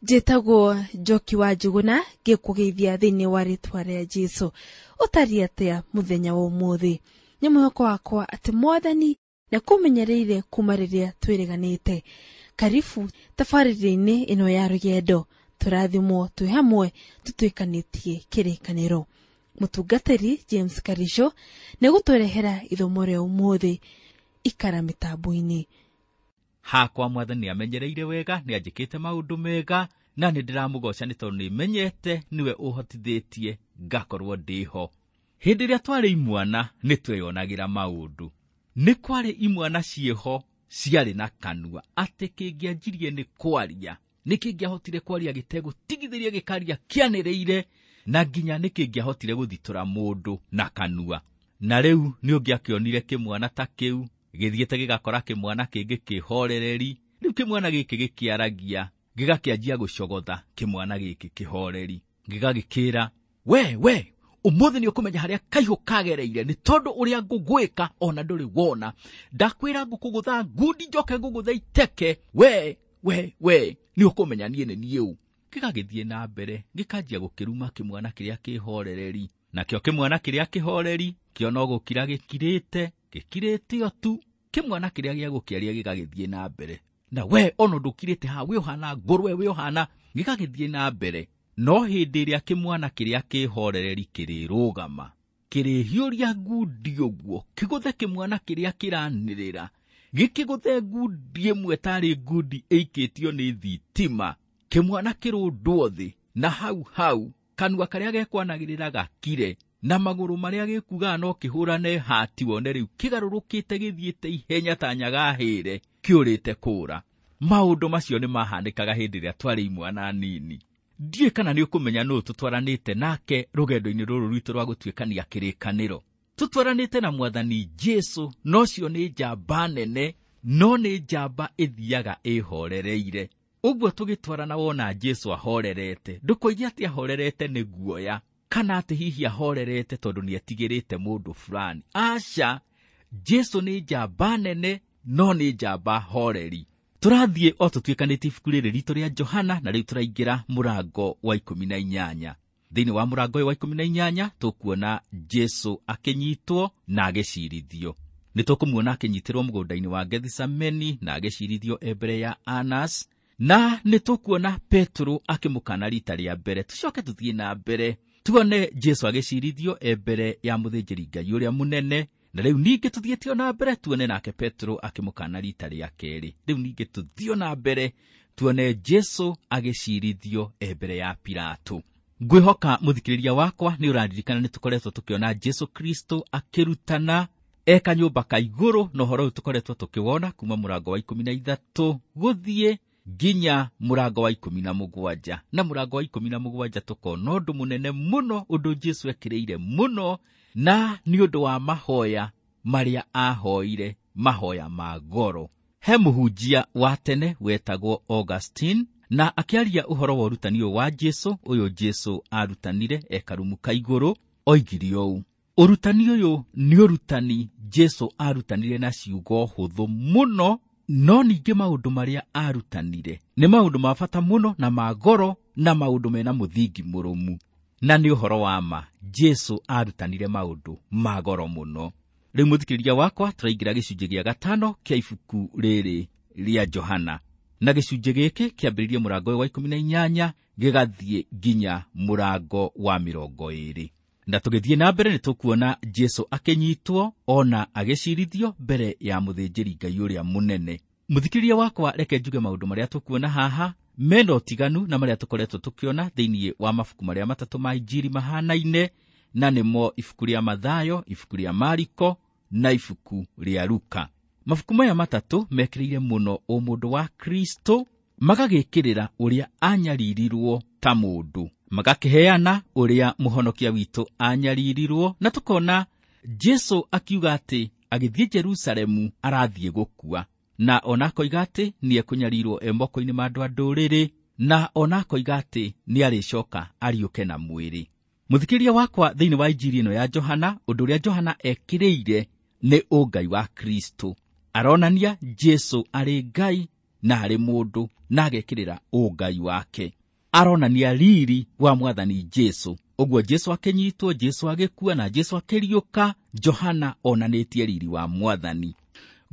Njĩtagwo Njoki wa Njuguna, ngĩkũgeithia thĩinĩ wa rĩtwa rĩa Jesũ. Ũtariĩ atĩa mũthenya wa ũmũthĩ? Nĩ mwĩhoko wakwa atĩ Mwathani nĩakũmenyereire kuma rĩrĩa twĩrĩganĩte. Karibu tabarĩra-inĩ ĩno ya rũgendo, tũrathimwo twĩ hamwe tũtuĩkanĩtie kĩrĩkanĩro. Mũtungatĩri James Karisho nĩegũtũrehera ithomo rĩa ũmũthĩ. Ikara mĩtambo-inĩ. Hakwa Mwathani amenyereire wega, nĩ anjĩkĩte maũndũ mega, na nĩ ndĩramũgoca nĩ tondũ nĩ menyete nĩwe ũhotithĩtie ngakorwo ndĩho. Hĩndĩ ĩrĩa twarĩ imwana nĩ tweyonagĩra maũndũ. Nĩ kwarĩ imwana ciĩho ciarĩ na kanua atĩ kĩngĩanjirie nĩ kwaria, nĩ kĩngĩahotire kwaria gĩtegũtigithĩria, gĩkaria kĩanĩrĩire, na nginya nĩ kĩngĩahotire gũthitũra mũndũ na kanua. Na rĩu nĩ ũngĩakĩonire kĩmwana ta kĩu gĩthiĩte gĩgakora kĩmwana kĩngĩ kĩhorereri. Rĩu kĩmwana gĩkĩ gĩkĩaragia gĩgakĩanjia gũcogotha kĩmwana gĩkĩ kĩhoreri, gĩgagĩkĩra, we ũmũthĩ nĩ ũkũmenya harĩa kaihũ kagereire, nĩ tondũ ũrĩa ngũgwĩka ona ndũrĩ wona. Ndakwĩra ngũkũgũtha ngundi njoke ngũgũthe iteke, we we we nĩ ũkũmenya niĩ nĩ niĩ ũ. Gĩgagĩthiĩ na mbere gĩkanjia gũkĩruma kĩmwana kĩrĩa kĩhorereri, nakĩo kĩmwana kĩrĩa kĩhoreri kĩona gũkira gĩkirĩte, gĩkirĩte o tu. Kĩmwana kĩrĩa gĩa gũkĩaria gĩgagĩthiĩ na mbere, na we ona ndũkirĩte haha, we ũhana ngũrwe, we ũhana, gĩgagĩthiĩ na mbere. No hĩndĩ ĩrĩa kĩmwana kĩrĩa kĩhorereri kĩrĩrũgama, kĩrĩhiũria ngundi ũguo, kĩgũthe kĩmwana kĩrĩa kĩranĩrĩra, gĩkĩgũthe ngundi ĩmwe tarĩ ngundi ĩikĩtio nĩ thitima, kĩmwana kĩrũndwo thĩ, na hau hau kanua karĩa gekwanagĩrĩra gakire, na magũrũ marĩa gĩkugaga no kĩhũrane hati, wone rĩu kĩgarũrũkĩte gĩthiĩte ihenya ta nyagahĩre kĩũrĩte kũra. Maũndũ macio nĩ mahanĩkaga hĩndĩ ĩrĩa twarĩ imwana nini. Ndiũĩ kana nĩ ũkũmenya nũũ tũtwaranĩte nake rũgendo-inĩ rũrũ rwitũ rwa gũtuĩkania kĩrĩkanĩro. Tũtwaranĩte na Mwathani Jesũ, na ũcio nĩ njamba nene, no nĩ njamba ĩthiaga ĩhorereire. Ũguo tũgĩtwarana wona Jesũ ahorerete, ndũkoige atĩ ahorerete nĩ guoya, kana atĩ hihi ahorerete tondũ nĩ etigĩrĩte mũndũ fulani. Aca, Jesũ nĩ njamba nene, no nĩ njamba horeri. Tũrathiĩ o tũtuĩkanĩtie ibuku rĩrĩ ritũ rĩa Johana, na rĩu tũraingĩra mũrango wa 18. Thĩinĩ wa mũrango ũyũ wa 18 tũkuona Jesũ akĩnyitwo na agĩcirithio. Nĩ tũkũmuona akĩnyitĩrwo mũgũnda-inĩ wa Gethisemane na agĩcirithio e mbere ya Anas, na nĩ tũkuona Petero akĩmũkana rita rĩa mbere. Tũcoke tũthiĩ na mbere tuone Jesũ agĩcirithio e mbere ya mũthĩnjĩri Ngai ũrĩa mũnene, na rĩu ningĩ tũthiĩte na mbere tuone nake Petero akĩmũkana rita rĩa kerĩ. Rĩu ningĩ tũthiĩ na mbere tuone Jesũ agĩcirithio e mbere ya Pilato. Ngwĩhoka mũthikĩrĩria wakwa nĩ ũraririkana nĩ tũkoretwo tũkĩona Jesũ Kristo akĩrutana e kanyũmba ka igũrũ, na ũhoro ũyũ tũkoretwo tũkĩwona kuma mũrango wa 13 gũthiĩ nginya mũrango wa 17. Na mũrango wa 17 tũkona ũndũ mũnene mũno, ũndũ Jesũ ekĩrĩire mũno, na nĩ ũndũ wa mahoya marĩa ahoire, mahoya ma goro. He mũhunjia wa tene wetagwo Augustine, na akĩaria ũhoro wa ũrutani ũyũ wa Jesũ, ũyũ Jesũ arutanire e karumu ka igũrũ, oigire ũũ: ũrutani ũyũ nĩ ũrutani Jesũ arutanire na ciugo hũthũ mũno, no ningĩ maũndũ marĩa arutanire nĩ maũndũ ma bata mũno na ma goro, na maũndũ mena mũthingi mũrũmu. Na nĩ ũhoro wa ma, Jesũ arutanire maũndũ ma goro mũno. Rĩu mũthikĩrĩria wakwa, tũraingĩra gĩcunjĩ gĩa 5 kĩa ibuku rĩrĩ rĩa Johana, na gĩcunjĩ gĩkĩ kĩambĩrĩrie mũrango wa 18 gĩgathiĩ nginya mũrango wa 20. Na tũgĩthiĩ na mbere nĩ tũkuona Jesũ akĩnyitwo ona agĩcirithio mbere ya mũthĩnjĩri Ngai ũrĩa mũnene. Mũthikĩrĩria wakwa, reke njuge maũndũ marĩa tũkuona haha mena ũtiganu na marĩa tũkoretwo tũkĩona thĩinĩ wa mabuku marĩa matatũ ma Injiri mahanaine, na nĩmo ibuku rĩa Mathayo, ibuku rĩa Mariko na ibuku rĩa Luka. Mabuku maya matatũ mekĩrĩire mũno ũmũndũ wa Kristo, magagĩkĩrĩra ũrĩa anyaririrwo ta mũndũ, magakĩheana ũrĩa mũhonokia witũ anyaririrwo, na tũkona Jesũ akiuga atĩ agĩthiĩ Jerusalemu arathiĩ gũkua, na ona akoiga atĩ nĩ ekũnyarirwo e moko-inĩ ma andũ a ndũrĩrĩ, na ona akoiga atĩ nĩ arĩcoka ariũke na mwĩrĩ. Mũthikĩrĩria wakwa, thĩinĩ wa Injiri ĩno ya Johana, ũndũ ũrĩa Johana ekĩrĩire nĩ ũngai wa Kristo. Aronania Jesũ arĩ Ngai na arĩ mũndũ na agekĩrĩra ũngai wake. Aronania riri wa mwathani Jesu. Ũguo Jesu akĩnyitwo, Jesu agĩkua na Jesu akĩriũka, Johana onanĩtie riri wa mwathani.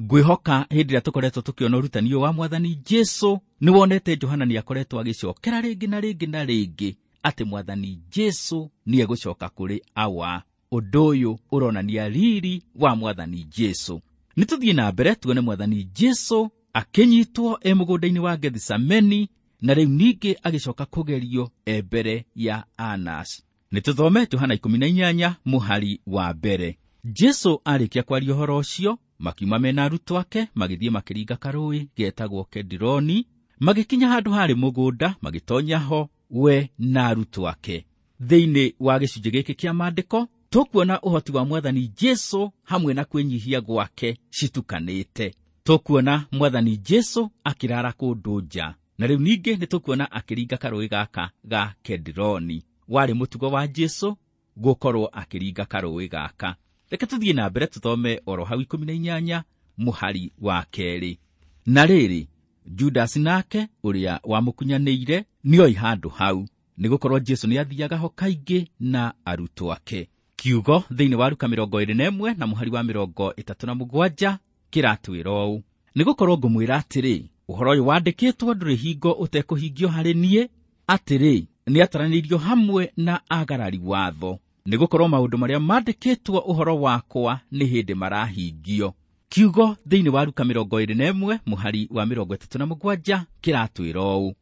Ngwĩhoka hĩndĩ ĩrĩa tũkoretwo tũkĩona ũrutani ũyũ wa mwathani Jesu, nĩwonete Johana nĩakoretwo agĩcokera rĩngĩ na rĩngĩ na rĩngĩ atĩ mwathani Jesu nĩegũcoka kũrĩ Awa. Ũndũ ũyũ ũronania riri wa mwathani Jesu. Nĩtũthiĩ na mbere tuone mwathani Jesu akĩnyitwo e mũgũnda-inĩ wa Gethisemane, na rĩu ningĩ agĩcoka kũgerio e mbere ya Annas. Nĩtũthome Johana 18 mũhari wa mbere. Jesu arĩkia kwaria ũhoro ũcio, makiuma mena arutwo ake, magĩthiĩ makĩringa karũũĩ getagwo Kedironi, magĩkinya handũ harĩ mũgũnda, magĩtonya ho we na arutwo ake. Thĩinĩ wa gĩcunjĩ gĩkĩ kĩa maandĩko, tũkuona ũhoti wa mwathani Jesu hamwe na kwĩnyihia gwake citukanĩte. Tũkuona mwathani Jesu akĩrara kũndũ nja, na rĩu ningĩ nĩtũkuona akĩringa karũũĩ gaka ga Kedironi. Warĩ mũtugo wa Jesu gũkorwo akĩringa karũũĩ gaka. Reke tũthiĩ na mbere tũthome oro hau 18 mũhari wa kerĩ. Na rĩrĩ, Judasi nake ũrĩa wamũkunyanĩire nĩoi handũ hau, nĩgũkorwo Jesu nĩathiaga ho kaingĩ na arutwo ake. Kiugo thĩinĩ wa Luka 21 na mũhari wa 37 kĩratwĩra ũũ: nĩgũkorwo ngũmwĩra atĩrĩ, ũhoro ũyũ wandĩkĩtwo ndũrĩ hingo ũtekũhingio harĩ niĩ, atĩrĩ, nĩataranĩirio hamwe na agarari watho, nĩgũkorwo maũndũ marĩa mandĩkĩtwo ũhoro wakwa nĩ hĩndĩ marahingio. Kiugo thĩinĩ wa Luka 21 mũhari wa 37 kĩratwĩra ũũ: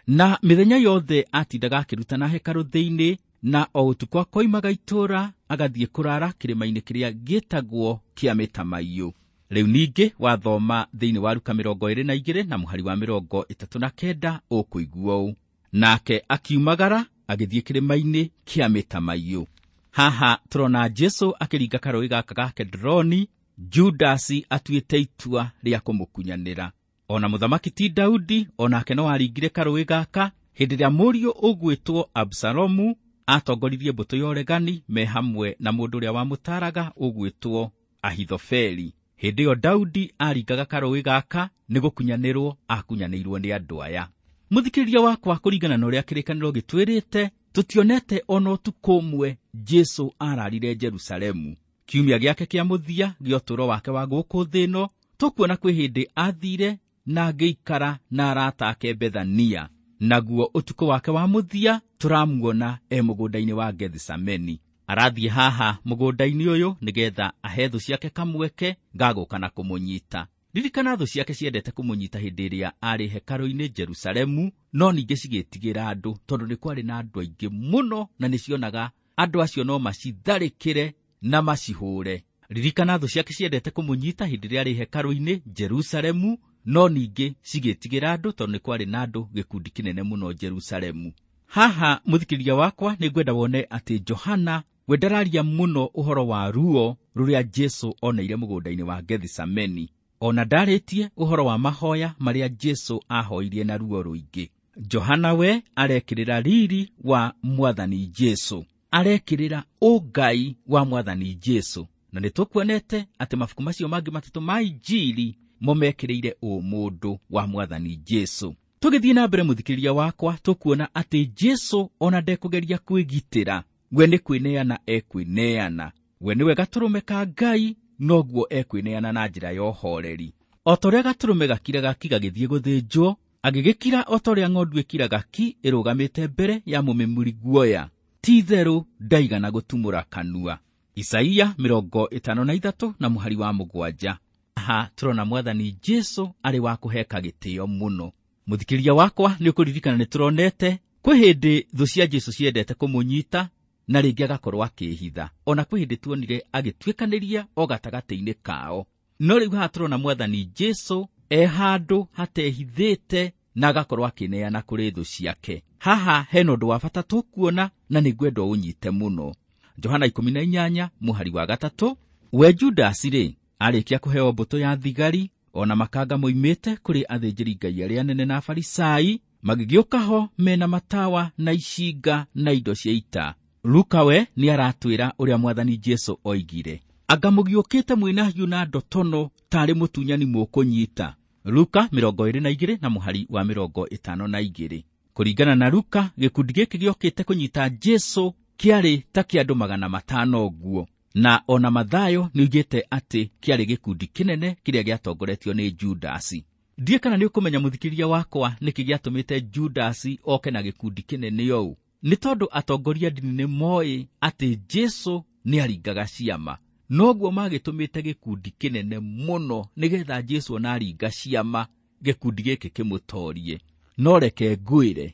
na mĩthenya yothe atindaga akĩrutana hekarũ thĩinĩ, na o ũtukũ akoimaga itũũra agathiĩ kũrara kĩrĩma-inĩ kĩrĩa gĩtagwo kĩa mĩtamaiyũ. Rĩu ningĩ wathoma thĩinĩ wa Luka 22 na mũhari wa 39 ũkũigua ũũ: nake akiumagara agĩthiĩ kĩrĩma-inĩ kĩa mĩtamaiyũ. Haha tũrona Jesu akĩringa karũũĩ gaka ga Kedironi, Judasi atuĩte itua rĩa kũmũkunyanĩra. Ona mũthamaki ti Daudi onake no aringire karũũĩ gaka hĩndĩ ĩrĩa mũriũ ũgwĩtwo Absalomu atongoririe mbũtũ ya ũregani me hamwe na mũndũ ũrĩa wamũtaaraga ũgwĩtwo Ahithofeli. Hĩndĩ ĩyo Daudi aringaga karũũĩ gaka nĩgũkunyanĩrwo akunyanĩirwo nĩ andũ aya. Mũthikĩrĩria wakwa, kũringana na ũrĩa kĩrĩkanĩro gĩtwĩrĩte, tũtionete ona ũtukũ ũmwe Jesu ararire Jerusalemu. Kiumia gĩake kĩa mũthia gĩa ũtũũro wake wa gũkũ thĩ ĩno, tũkuona kwĩ hĩndĩ athire na agĩikara na arata ake Bethania. Naguo ũtukũ wake wa mũthia tũramuona e mũgũnda-inĩ wa Gethisemane. Arathiĩ haha mũgũnda-inĩ ũyũ nĩgetha ahe thũ ciake kamweke ga gũka na kũmũnyita. Ririkana thũ ciake ciendete kũmũnyita hĩndĩ ĩrĩa arĩ hekarũ-inĩ Jerusalemu, no ningĩ cigĩtigĩra andũ tondũ nĩ kwarĩ na andũ aingĩ mũno na nĩcionaga andũ acio no macitharĩkĩre na macihũre. Ririkana thũ ciake ciendete kũmũnyita hĩndĩ ĩrĩa arĩ hekarũ-inĩ Jerusalemu, no ningĩ cigĩtigĩra andũ tondũ nĩ kwarĩ na andũ gĩkundi kĩnene mũno Jerusalemu. Haha mũthikĩrĩria wakwa, nĩngwenda wone atĩ Johana we ndararia mũno ũhoro wa ruo rũrĩa Jesu oneire mũgũnda-inĩ wa Gethisemane. Ona ndarĩtie ũhoro wa mahoya marĩa Jesu ahoirie na ruo rũingĩ. Johana we arekĩrĩra riri wa mwathani Jesu, arekĩrĩra ũngai wa mwathani Jesu. Na nĩtũkuonete atĩ mabuku macio mangĩ matatũ ma Injili mo mekĩrĩire ũmũndũ wa mwathani Jesu. Tũgĩthiĩ na mbere mũthikĩrĩria wakwa, tũkuona atĩ Jesu ona ndekũgeria kwĩgitĩra, we nĩ kwĩneana ekwĩneana. We nĩwe gatũrũme ka Ngai, noguo ekwĩneana na njĩra ya ũhoreri. O ta ũrĩa gatũrũme gakiraga ki gagĩthiĩ gũthĩnjwo, agĩgĩkira o ta ũrĩa ng'ondu ĩkiraga ki ĩrũgamĩte mbere ya mũmĩmuri guoya, ti-itherũ ndaigana gũtumũra kanua. Isaia 53 na mũhari wa 7. Haha tũrona mwathani Jesu arĩ wa kũheka gĩtĩo mũno. Mũthikĩrĩria wakwa, nĩũkũririkana nĩtũronete kwĩ hĩndĩ thũ cia Jesu ciendete kũmũnyita na rĩngĩ agakorwo akĩĩhitha. Ona kwĩ hĩndĩ tuonire agĩtuĩkanĩria o gatagatĩ-inĩ kao. No rĩu haha tũrona mwathani Jesu e handũ hatehithĩte na agakorwo akĩneana kũrĩ thũ ciake. Haha hena ũndũ wa bata tũkuona na nĩngwenda ũnyite mũno. Johana 18 mũhari wa 3, we Judasi rĩ, arĩkia kũheo mbũtũ ya thigari ona makanga moimĩte kũrĩ athĩnjĩri Ngai arĩa anene na Afarisai, magĩgĩũka ho mena matawa na icinga na indo cia ita. Luka we nĩaratwĩra ũrĩa mwathani Jesu oigire: anga mũgiũkĩte mwĩna hiũ na ndotono tarĩ mũtunyani mũkũnyita. Luka 22 na mũhari wa 52. Kũringana na Luka, gĩkundi gĩkĩ gĩokĩte kũnyita Jesu kĩarĩ ta kĩa andũ 500 ũguo, na ona Mathayo nĩoigĩte atĩ kĩarĩ gĩkundi kĩnene kĩrĩa gĩatongoretio nĩ Judasi. Ndiĩ kana nĩ ũkũmenya mũthikĩria wakwa nĩkĩ gĩatũmĩte Judasi oke na gĩkundi kĩnene ũũ. Nĩ tondũ atongoria ndini nĩ moĩ atĩ Jesu nĩaringaga ciama, noguo magĩtũmĩte gĩkundi kĩnene mũno nĩgetha Jesu ona aringa ciama gĩkundi gĩkĩ kĩmũtorie. No reke ngwĩre,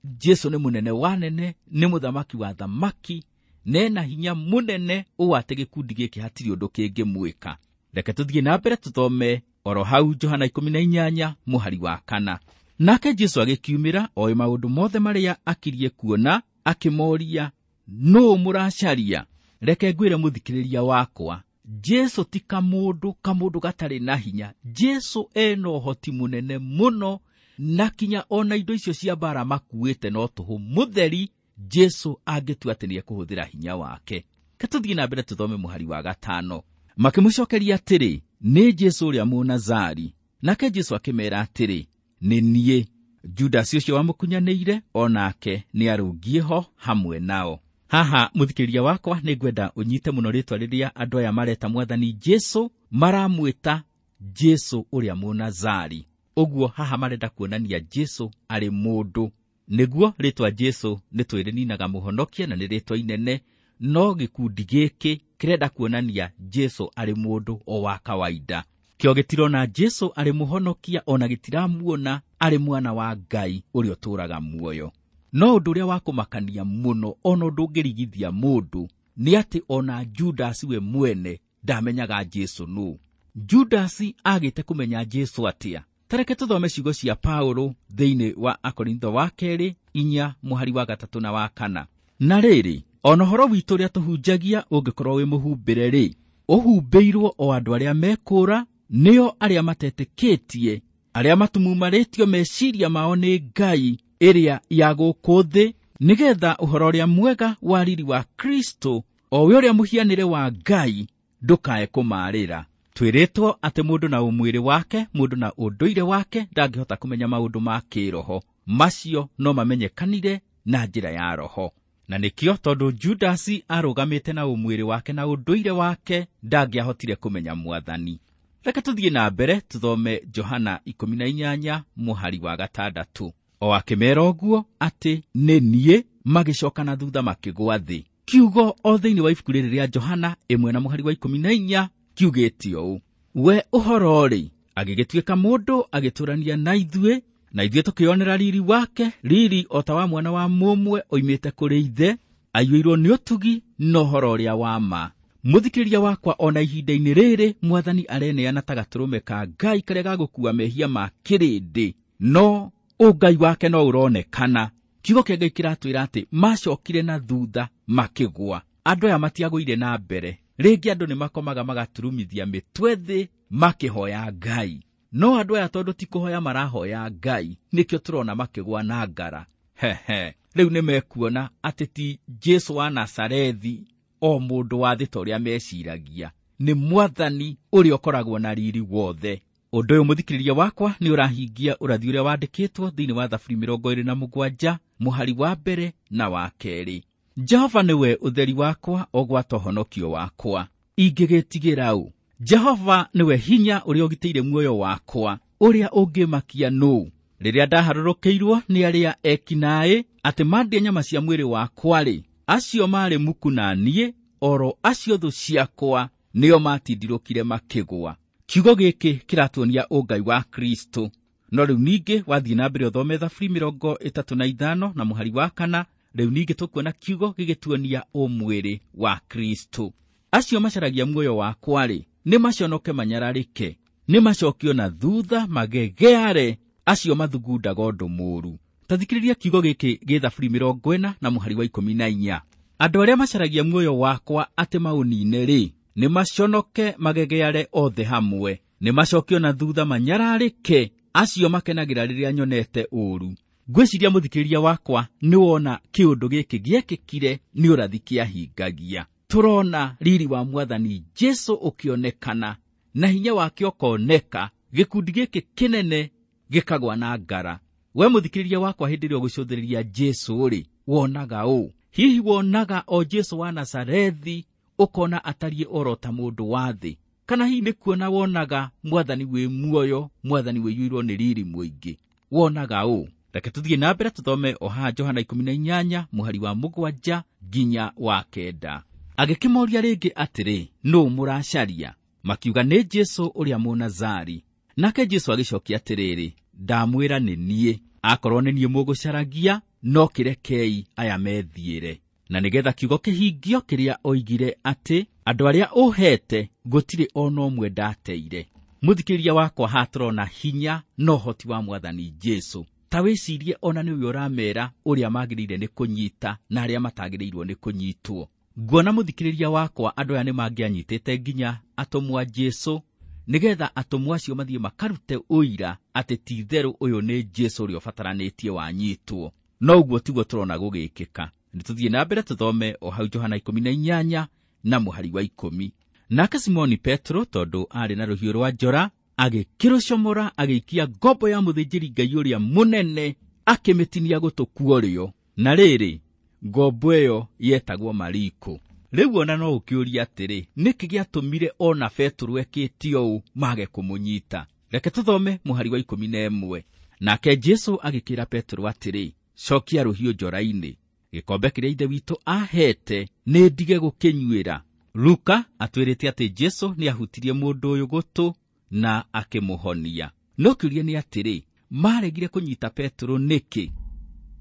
Jesu nĩ mũnene wa nene, nĩ mũthamaki wa thamaki, nena hinya mũnene ũũ atĩ gĩkundi gĩkĩ hatirĩ ũndũ kĩngĩmwĩka. Reke tũthiĩ na mbere tũthome oro hau Johana 18 mũhari wa 4. Nake Jesu agĩkiumĩra oĩ maũndũ mothe marĩa akirie kuona, akĩmoria, nũũ mũracaria? Reke ngwĩre mũthikĩrĩria wakwa, Jesu ti kamũndũ gatarĩ na hinya. Jesu ena ũhoti mũnene mũno, na kinya ona indo icio cia mbara makuĩte no tũhũ mũtheri. Jesu angĩtua atĩ nĩekũhũthĩra hinya wake. Reke tũthiĩ na mbere tũthome mũhari wa 5. Makĩmũcokeria atĩrĩ, nĩ Jesu ũrĩa Mũnazari. Nake Jesu akĩmeera atĩrĩ, nĩ niĩ. Judasi ũcio wamũkunyanĩire o nake nĩarũngiĩ ho hamwe nao. Haha mũthikĩrĩria wakwa, nĩngwenda ũnyite mũno rĩtwa rĩrĩa andũ aya mareta mwathani Jesu, maramwĩta Jesu ũrĩa Mũnazari. Ũguo haha marenda kuonania Jesu arĩ mũndũ. Nĩguo rĩtwa Jesu nĩ twĩrĩninaga mũhonokia na nĩ rĩtwa inene, no gĩkundi gĩkĩ kĩrenda kuonania Jesu arĩ mũndũ o wa kawaida. Kĩo gĩtirona Jesu arĩ mũhonokia, ona gĩtiramuona arĩ mwana wa Ngai ũrĩa ũtũũraga muoyo. No ũndũ ũrĩa wa kũmakania mũno, ona ũndũ ũngĩrigithia mũndũ, nĩ atĩ ona Judasi we mwene ndamenyaga Jesu nũ. Judasi agĩte kũmenya Jesu atĩa? Tareke tũthome ciugo cia Paulo thĩinĩ wa Akorintho wa 2 4 mũhari wa 3 na wa 4. Na rĩrĩ, ona ũhoro witũ ũrĩa tũhunjagia ũngĩkorwo wĩ mũhumbĩre rĩ, ũhumbĩirwo o andũ arĩa mekũũra, nĩo arĩa matetĩkĩtie, arĩa matumumarĩtio meciria mao nĩ Ngai ĩrĩa ya gũkũ thĩ, nĩgetha ũhoro ũrĩa mwega wa riri wa Kristo, o we ũrĩa mũhianĩre wa Ngai, ndũkae kũmarĩra. Twĩrĩtwo atĩ mũndũ na ũmwĩrĩ wake, mũndũ na ũndũire wake ndangĩhota kũmenya maũndũ ma kĩroho. Macio no mamenyekanire na njĩra ya roho. Na nĩkĩo tondũ Judasi arũgamĩte na ũmwĩrĩ wake na ũndũire wake, ndangĩahotire kũmenya mwathani. Reke tũthiĩ na mbere tũthome Johana 18 mũhari wa 6. O akĩmeera ũguo atĩ nĩ niĩ, magĩcoka na thutha makĩgũa thĩ. Kiugo o thĩinĩ wa ibuku rĩrĩ rĩa Johana 1 na mũhari wa 14 kiugĩte ũũ: we ũhoro-rĩ, agĩgĩtuĩka mũndũ, agĩtũũrania na ithuĩ, na ithuĩ tũkĩonera riri wake, riri o ta wa mwana wa mũmwe oimĩte kũrĩ ithe, aiyũirwo nĩ ũtugi na ũhoro ũrĩa wa ma. Mũthikĩrĩria wakwa, ona ihinda-inĩ rĩrĩ mwathani areneana ta gatũrũme ka Ngai karĩa gagũkua mehia ma kĩrĩndĩ, no ũngai wake no ũronekana. Kiugo kĩa Ngai kĩratwĩra atĩ macokire na thutha makĩgũa. Andũ aya matiagũire na mbere. Rĩngĩ andũ nĩmakomaga magaturumithia mĩtwe thĩ makĩhoya Ngai. No andũ aya tondũ ti kũhoya marahoya Ngai, nĩkĩo tũrona makĩgũa na ngara. Hehe, rĩu nĩmekuona atĩ ti Jesu wa Nazarethi o mũndũ wa thĩ ta ũrĩa meciragia, nĩ mwathani ũrĩa ũkoragwo na riri wothe. Ũndũ ũyũ mũthikĩrĩria wakwa nĩ ũrahingia ũrathi ũrĩa wandĩkĩtwo thĩinĩ wa Thaburi 27 mũhari wa 1 na wa 2. Jehova nĩwe ũtheri wakwa, o gwata ũhonokio wakwa, ingĩgĩtigĩra ũ? Jehova nĩwe hinya ũrĩa ũgitĩire muoyo wakwa, ũrĩa ũngĩmakia nũũ? Rĩrĩa ndaharũrũkĩirwo nĩ arĩa ekinaĩ atĩ mandĩe nyama cia mwĩrĩ wakwa-rĩ, acio maarĩ muku na niĩ, oro acio thũ ciakwa nĩo matindirũkire makĩgũa. Kiugo gĩkĩ kĩratuonia ũngai wa Kristo. No rĩu ningĩ wathiĩ na mbere ũthome Thaburi 35 na mũhari wa 4, rĩu ningĩ tũkuona kiugo gĩgĩtuonia ũmwĩrĩ wa Kristo. Acio macaragia muoyo wakwa-rĩ, nĩ maconoke manyararĩke, nĩ macokio na thutha magegeare, acio mathugundaga ũndũ mũũru. Ta thikĩrĩria kiugo gĩkĩ gĩ Thaburi 40 na mũhari wa 14. Andũ arĩa macaragia muoyo wakwa atĩ maũnine-rĩ, nĩ maconoke magegeare othe hamwe, nĩ macokio na thutha manyararĩke, acio makenagĩra rĩrĩa nyonete ũũru. Ngwĩciria mũthikĩrĩria wakwa nĩ wona kĩũndũ gĩkĩ gĩekĩkire nĩ ũrathi kĩahingagia. Tũrona riri wa mwathani Jesu ũkĩonekana na hinya wake ũkoneka Gĩkundi gĩkĩ kĩnene gĩkagwa na ngara. We mũthikĩrĩria wakwa, hĩndĩ ĩrĩa ũgũcũthĩrĩria Jesũ rĩ, wonaga ũ? Hihi wonaga o Jesũ wa Nazarethi, ũkona atariĩ oro ta mũndũ wa thĩ? Kana hihi nĩ kuona wonaga mwathani wĩ muoyo, mwathani wĩiyũirwo nĩ riri mũingĩ? Wonaga ũ? Reke tũthiĩ na mbere tũthome o haha Johana 18 mũhari wa 7 nginya wa 9. Agĩkĩmoria rĩngĩ atĩrĩ, nũ mũracaria? Makiuga nĩ Jesũ ũrĩa Mũnazari. Nake Jesũ agĩcokia atĩrĩrĩ, ndamwĩra nĩ niĩ. Akorwo nĩ niĩ mũgũcaragia, no kĩrekei aya methiĩre. Na nĩgetha kiugo kĩhingio kĩrĩa oigire atĩ andũ arĩa ũhete gũtirĩ ona ũmwe ndateire. Mũthikĩrĩria wakwa, haha tũrona hinya na ũhoti wa mwathani Jesũ. Ta wĩcirie ona nĩwe ũramera ũrĩa magĩrĩire nĩ kũnyita na arĩa matagĩrĩirwo nĩ kũnyitwo. Nguona mũthikĩrĩria wakwa, andũ aya nĩ mangĩanyitĩte nginya atũmwo a Jesũ, nĩgetha atũmwo acio mathiĩ makarute ũira atĩ ti itherũ ũyũ nĩ Jesũ ũrĩa ũbataranĩtie wanyitwo. No ũguo tiguo tũrona gũgĩkĩka. Nĩ tũthiĩ na mbere tũthome o hau Johana 18 na mũhari wa 10. Nake Simoni Petro, tondũ aarĩ na rũhiũ rwa njora, agĩkĩrũcomora agĩikia ngombo ya mũthĩnjĩri Ngai ũrĩa mũnene, akĩmĩtinia gũtũ kuorĩo. Na rĩrĩ, ngombo ĩyo yetagwo Mariko. Rĩu ona no ũkĩũrie atĩrĩ, nĩkĩ gĩatũmire ona Petro ekĩte ũũ mage kũmũnyita? Reke tũthome mũhari wa 11. Nake Jesũ agĩkĩra Petro atĩrĩ, cokia rũhiũ njora-inĩ, gĩkombe kĩrĩa Ithe witũ ahete nĩ ndige gũkĩnyuĩra. Luka atwĩrĩte atĩ Jesũ nĩ ahutirie mũndũ ũyũ gũtũ na akĩmũhonia. No kĩũria nĩ atĩrĩ, maregire kũnyita Petro nĩkĩ?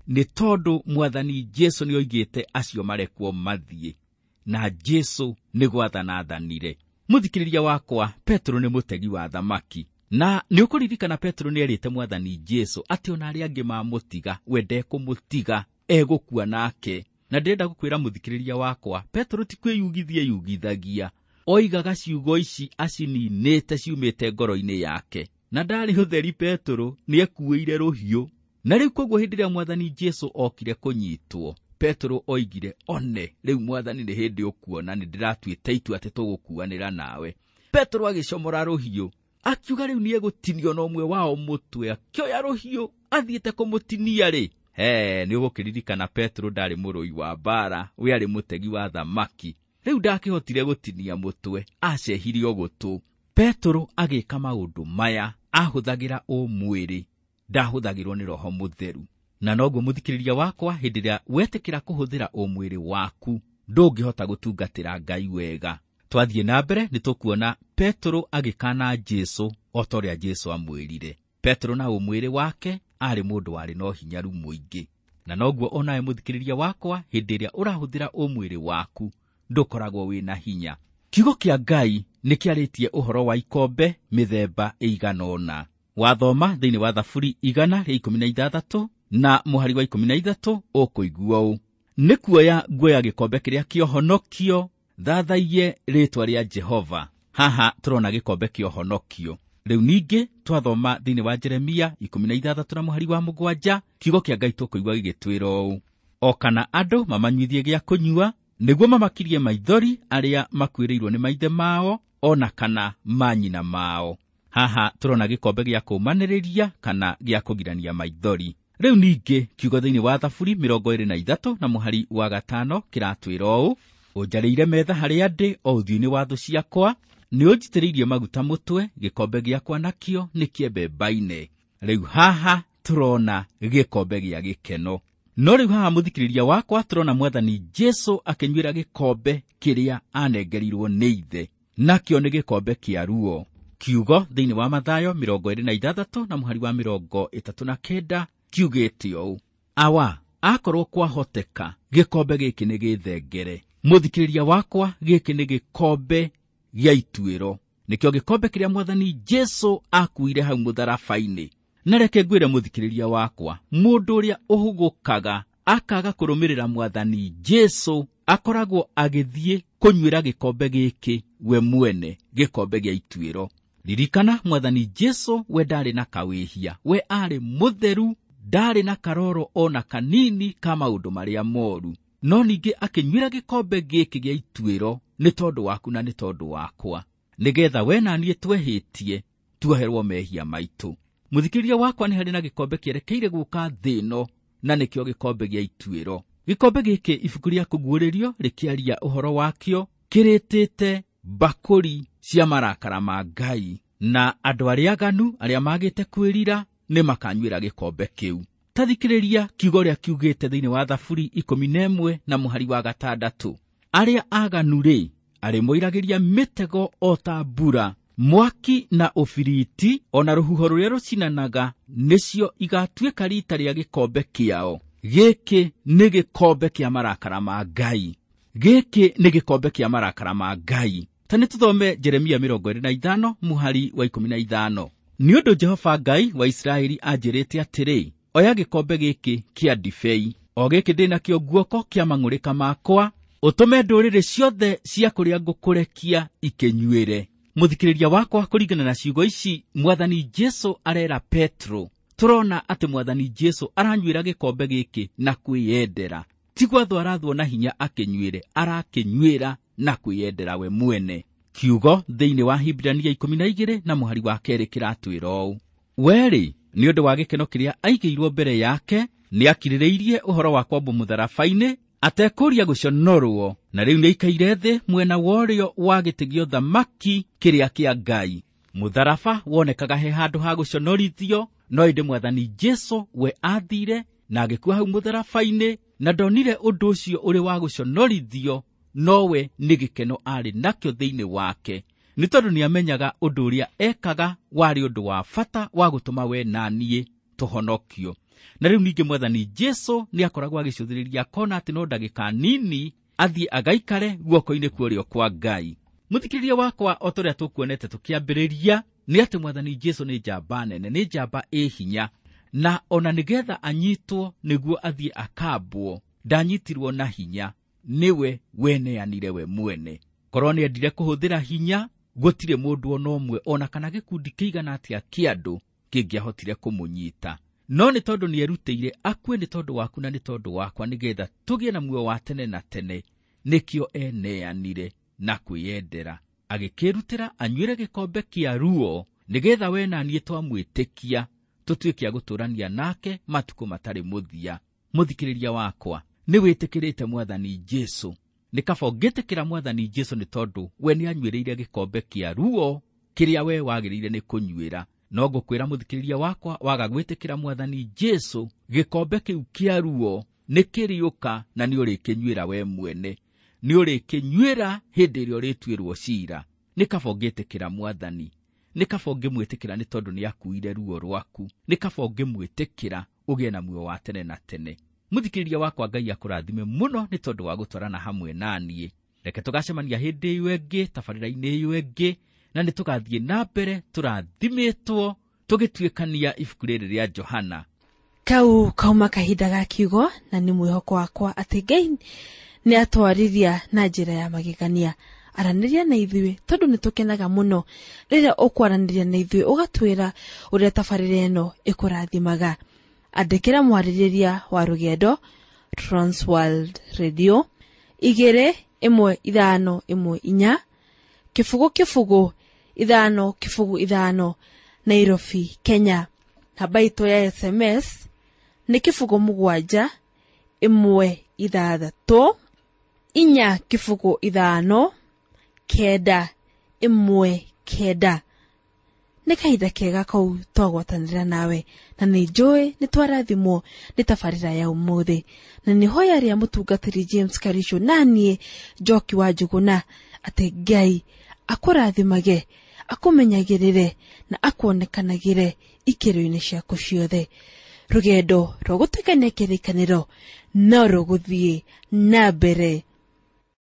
Nĩ tondũ mwathani Jesũ nĩ oigĩte acio marekwo mathiĩ, na Jesũ nĩ gwathana athanire. Mũthikĩrĩria wakwa, Petro nĩ mũtegi wa thamaki. Na nĩ ũkũririkana Petro nĩ erĩte mwathani Jesũ atĩ ona arĩa angĩ mamũtiga, we ndekũmũtiga, egũkua nake. Na ndĩrenda gũkwĩra mũthikĩrĩria wakwa, Petro ti kwĩyugithia eyugithagia, oigaga ciugo ici acininĩte ciumĩte ngoro-inĩ yake. Na ndarĩ ũtheri, Petro nĩ ekuĩire rũhiũ. Na rĩu koguo hĩndĩ ĩrĩa mwathani Jesũ okire kũnyitwo, Petro oigire, one rĩu mwathani nĩ hĩndĩ ũkuona nĩ ndĩratuĩte itua atĩ tũgũkuanĩra nawe. Petro agĩcomora rũhiũ, akiuga rĩu nĩ egũtinio na ũmwe wao mũtwe, akĩoya rũhiũ athiĩte kũmũtinia rĩ. He, nĩ ũgũkĩririkana Petro ndarĩ mũrũi wa mbara, we arĩ mũtegi wa thamaki. Rĩu ndakĩhotire gũtinia mũtwe, acehirio gũtũ. Petro agĩka maũndũ maya, ahũthagĩra ũmwĩrĩ, ndahũthagĩrwo nĩ Roho Mũtheru. Na noguo mũthikĩrĩria wakwa, hĩndĩ ĩrĩa wetĩkĩra kũhũthĩra ũmwĩrĩ waku, ndũngĩhota gũtungatĩra Ngai wega. Twathiĩ na mbere nĩ tũkuona Petro agĩkana Jesũ o ta ũrĩa Jesũ amwĩrire. Petro na ũmwĩrĩ wake aarĩ mũndũ warĩ na ũhinyaru mũingĩ. Na noguo onawe mũthikĩrĩria wakwa, hĩndĩ ĩrĩa ũrahũthĩra ũmwĩrĩ waku, ndũkoragwo wĩna hinya. Kiugo kĩa Ngai nĩ kĩarĩtie ũhoro wa ikombe mĩthemba ĩigana ũna. Wathoma thĩinĩ wa Thaburi 116 na mũhari wa 13 ũkũigua ũũ: nĩ kuoya nguoya gĩkombe kĩrĩa kĩa ũhonokio, thathaiye rĩĩtwa rĩa Jehova. Haha tũrona gĩkombe kĩa ũhonokio. Rĩu ningĩ twathoma thĩinĩ wa Jeremia 16 na mũhari wa 7, kiugo kĩa Ngai tũkũigua gĩgĩtwĩra ũũ: o kana andũ mamanyuithie gĩa kũnyua, nĩguo mamakirie maithori arĩa makuĩrĩirwo nĩ maithe mao, ona kana manyina mao. Haha tũrona gĩkombe gĩa kũũmanĩrĩria kana gĩa kũgirania maithori. Rĩu ningĩ kiugo thĩinĩ wa Thaburi 23 na mũhari wa 5 kĩratwĩra ũũ: ũnjarĩire metha harĩa ndĩ o ũthiũ-inĩ wa thũ ciakwa, nĩ ũnjitĩrĩirie maguta mũtwe, gĩkombe gĩakwa nakĩo nĩ kĩembembaine. Rĩu haha tũrona gĩkombe gĩa gĩkeno. No rĩu haha mũthikĩrĩria wakwa, tũrona mwathani Jesũ akĩnyuĩra gĩkombe kĩrĩa anengerirwo nĩ ithe, nakĩo nĩ gĩkombe kĩa ruo. Kiugo thĩinĩ wa Mathayo 26 na mũhari wa 39 kiugĩte ũũ: awa, akorwo kwahoteka gĩkombe gĩkĩ nĩ gĩthengere. Mũthikĩrĩria wakwa, gĩkĩ nĩ gĩkombe gĩa ituĩro, nĩkĩo gĩkombe kĩrĩa mwathani Jesũ akuire hau mũtharaba-inĩ. Na reke ngwĩre mũthikĩrĩria wakwa, mũndũ ũrĩa ũhũgũkaga akaga kũrũmĩrĩra mwathani Jesũ akoragwo agĩthiĩ kũnyuĩra gĩkombe gĩkĩ we mwene, gĩkombe gĩa ituĩro. Ririkana mwathani Jesũ we ndarĩ na kawĩhia, we arĩ mũtheru, ndarĩ na karoro ona kanini ka maũndũ marĩa moru. No ningĩ akĩnyuĩra gĩkombe gĩkĩ gĩa ituĩro nĩ tondũ waku na nĩ tondũ wakwa, nĩgetha we na niĩ twehĩtie Tuoherwo mehia maitũ. Mũthikĩrĩria wakwa, nĩ harĩ na gĩkombe kĩerekeire gũka thĩ ĩno, na nĩkĩo gĩkombe gĩa ituĩro. Gĩkombe gĩkĩ ibuku rĩa kũguũrĩrio rĩkĩaria ũhoro wakĩo kĩrĩtĩte mbakũri cia marakara ma Ngai, na andũ arĩa aganu arĩa magĩte kwĩrira nĩ makanyuĩra gĩkombe kĩu. Ta thikĩrĩria kiugo ũrĩa kiugĩte thĩinĩ wa Thaburi 11 na mũhari wa 6. Arĩa aganu rĩ, arĩmoiragĩria mĩtego o ta mbura, mwaki na ũbiriti ona rũhuho rũrĩa rũcinanaga nĩcio igatuĩka rita rĩa gĩkombe kĩao. Gĩkĩ nĩ gĩkombe kĩa marakara ma Ngai. Gĩkĩ nĩ gĩkombe kĩa marakara ma Ngai. Ta nĩ tũthome Jeremia 25 mũhari wa 15. Nĩ ũndũ Jehova Ngai wa Isiraeli anjĩrĩte atĩrĩ, oya gĩkombe gĩkĩ kĩa ndibei, o gĩkĩ ndĩ nakĩo guoko kĩa mang'ũrĩka makwa, ũtũme ndũrĩrĩ ciothe cia kũrĩa ngũkũrekia ikĩnyuĩre. Mũthikĩrĩria wakwa, kũringana na ciugo ici Mwathani Jesu arera Petro, tũrona atĩ Mwathani Jesu aranyuĩra gĩkombe gĩkĩ na kwĩyendera. Ti gwathwo arathwo na hinya akĩnyuĩre, arakĩnyuĩra na kwĩyendera we mwene. Kiugo thĩinĩ wa Hibirania 12 na mũhari wa 2 kĩratwĩra ũũ: we-rĩ, nĩ ũndũ wa gĩkeno kĩrĩa aigĩirwo mbere yake, nĩakirĩrĩirie ũhoro wa kwambwo mũtharaba-inĩ, atekũria gũconorwo, na rĩu nĩaikaire thĩ mwena wa ũrĩo wa gĩtĩ gĩa ũthamaki kĩrĩa kĩa Ngai. Mũtharaba wonekaga he handũ ha gũconorithio, no ĩndĩ Mwathani Jesu we athire na agĩkua hau mũtharaba-inĩ, na ndonire ũndũ ũcio ũrĩ wa gũconorithio, nowe nĩ gĩkeno arĩ nakĩo thĩinĩ wake, nĩ tondũ nĩamenyaga ũndũ ũrĩa ekaga warĩ ũndũ wa bata wa gũtũma we na niĩ tũhonokio. Na rĩu ningĩ Mwathani Jesu nĩakoragwo agĩcũthĩrĩria akona atĩ no ndagĩka nini athiĩ agaikare guoko-inĩ kwa ũrĩo kwa Ngai. Mũthikĩrĩria wakwa, o ta ũrĩa tũkuonete tũkĩambĩrĩria, nĩ atĩ Mwathani Jesu nĩ njamba nene, nĩ njamba ĩ hinya, na ona nĩgetha anyitwo nĩguo athiĩ akambwo, ndanyitirwo na hinya, nĩwe weneanire we mwene. Korwo nĩendire kũhũthĩra hinya, gũtirĩ mũndũ ona ũmwe ona kana gĩkundi kĩigana atĩa kĩa andũ kĩngĩahotire kũmũnyita. No nĩ tondũ nĩerutĩire akue nĩ tondũ waku na nĩ tondũ wakwa, nĩgetha tũgĩe na muoyo wa tene na tene, nĩkĩo eneanire na kwĩyendera, agĩkĩrutĩra anyuĩre gĩkombe kĩa ruo, nĩgetha we na niĩ twamwĩtĩkia tũtuĩke a gũtũũrania nake matukũ matarĩ mũthia. Mũthikĩrĩria wakwa, nĩ wĩtĩkĩrĩte Mwathani Jesu? Nĩ kaba ũngĩtĩkĩra Mwathani Jesu, nĩ tondũ we nĩanyuĩrĩire gĩkombe kĩa ruo kĩrĩa we wagĩrĩire nĩ kũnyuĩra. No ngũkwĩra mũthikĩrĩria wakwa, waga gwĩtĩkĩra Mwathani Jesu, gĩkombe kĩu kĩa ruo nĩ kĩrĩũka na nĩ ũrĩkĩnyuĩra we mwene, nĩ ũrĩkĩnyuĩra hĩndĩ ĩrĩa ũrĩtuĩrwo cira. Nĩ kaba ũngĩtĩkĩra Mwathani, nĩ kaba ũngĩmwĩtĩkĩra nĩ tondũ nĩakuire ruo rwaku, nĩ kaba ũngĩmwĩtĩkĩra ũgĩe na muoyo wa tene na tene. Mũthikĩrĩria wakwa, Ngai akũrathime mũno nĩ tondũ wa gũtwarana hamwe na niĩ. Reke tũgacemania hĩndĩ ĩyo ĩngĩ, tabarĩra-inĩ ĩyo ĩngĩ, na nĩ tũgathiĩ na mbere tũrathimĩtwo tũgĩtuĩkania ibuku rĩrĩ rĩa Johana. Kau kauma kahinda ga kiugo, na nĩ mwĩhoko wakwa atĩ Ngai nĩ atwarĩria na njĩra ya magegania. Aranĩria na ithuĩ tondũ nĩ tũkenaga mũno rĩrĩa ũkwaranĩria na ithuĩ, ũgatwĩra ũrĩa tabarĩra ĩno ĩkũrathimaga. Andĩkĩra mwarĩrĩria wa rũgendo Transworld Radio 2 1 5 1 4 0 0 5 0 5, Nairobi, Kenya. Namba itũ ya SMS nĩ 0 7 1 6 4 0 5 9 1 9. Nĩ kahinda kega kau twagwatanĩra nawe, na nĩ njũĩ nĩ twarathimwo nĩ tabarĩra ya ũmũthĩ, na nĩ hoya rĩa mũtungatĩri James Karisho na niĩ Njoki wa Njũgũna atĩ Ngai akũrathimage, akũmenyagĩrĩre na akuonekanagĩre ikĩro-inĩ ciaku ciothe. Rũgendo rwa gũtuĩkania kĩrĩkanĩro no rũgũthiĩ na mbere.